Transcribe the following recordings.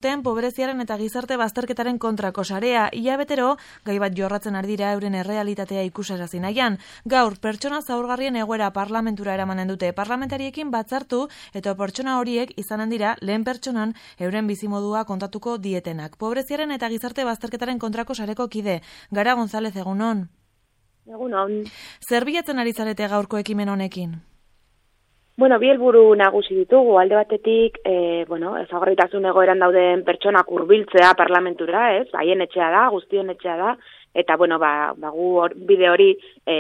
Pobreziaren eta gizarte bazterketaren kontrako sarea, hilabetero, gai bat jorratzen ari dira euren errealitatea ikusarazi nahian. Gaur, pertsona zaurgarrien egoera parlamentura eramanen dute parlamentariekin batzartu eta pertsona horiek izanen dira lehen pertsonan euren bizimodua kontatuko dietenak. Pobreziaren eta gizarte bazterketaren kontrako sareko kide. Gara González, egunon. Egunon. Zer bilatzen ari zarete gaurko ekimen honekin? Bueno, bi helburu nagusi ditugu. Alde batetik, ezaugarritasun egoeran dauden pertsonak hurbiltzea parlamentura, haien etxea da, guztion etxea da, eta gu bide hori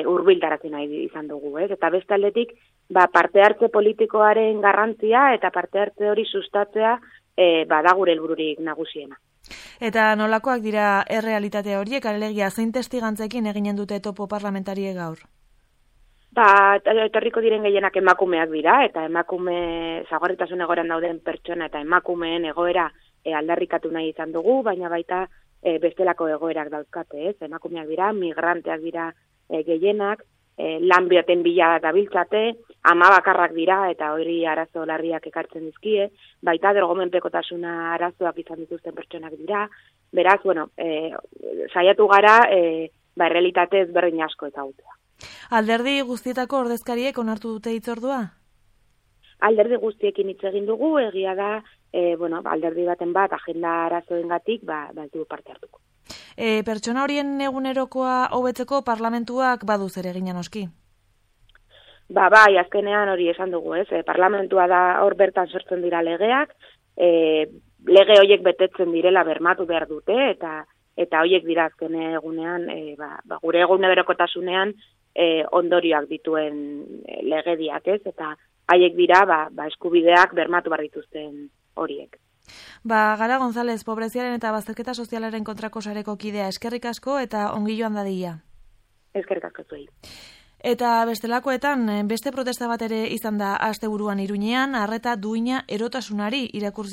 hurbiltarazi nahi izan dugu, Eta beste aldetik, parte hartze politikoaren garrantzia eta parte hartze hori sustatzea da gure helbururik nagusiena. Eta nolakoak dira errealitate horiek, alegia zein testigantzekin eginen dute topo parlamentarie gaur? Etorriko diren gehienak emakumeak dira, eta emakume zaurgarritasun egoeran dauden pertsona eta emakumeen egoera aldarrikatu nahi izan dugu, baina baita bestelako egoerak dauzkate, emakumeak dira, migranteak dira gehienak, lan bioten bila dabiltzate, ama bakarrak dira eta hori arazo larriak ekartzen dizkie, baita dergomenpekotasuna arazoak izan dituzten pertsonak dira, beraz, saiatu gara errealitate ezberdin asko ezagutzea. Alderdi guztietako ordezkariek onartu dute hitzordua? Alderdi guztiekin hitz egin dugu, egia da, alderdi baten bat agenda arazoengatik ez dugu parte hartuko. Pertsona horien egunerokoa hobetzeko parlamentuak badu zer egina noski? Azkenean hori esan dugu, Parlamentua da hor bertan sortzen dira legeak, lege horiek betetzen direla bermatu behar dute, eta horiek dira azken egunean, gure egunerokotasunean ondorioak dituen legediak, eta haiek dira eskubideak bermatu behar dituzten horiek. Gara González, pobreziaren eta bazterketa sozialaren kontrako sareko kidea, eskerrik asko eta ongi joan dadila. Eskerrik asko zuei. Eta bestelakoetan, beste protesta bat ere izan da asteburuan Iruñean, arreta duina erotasunari irakurri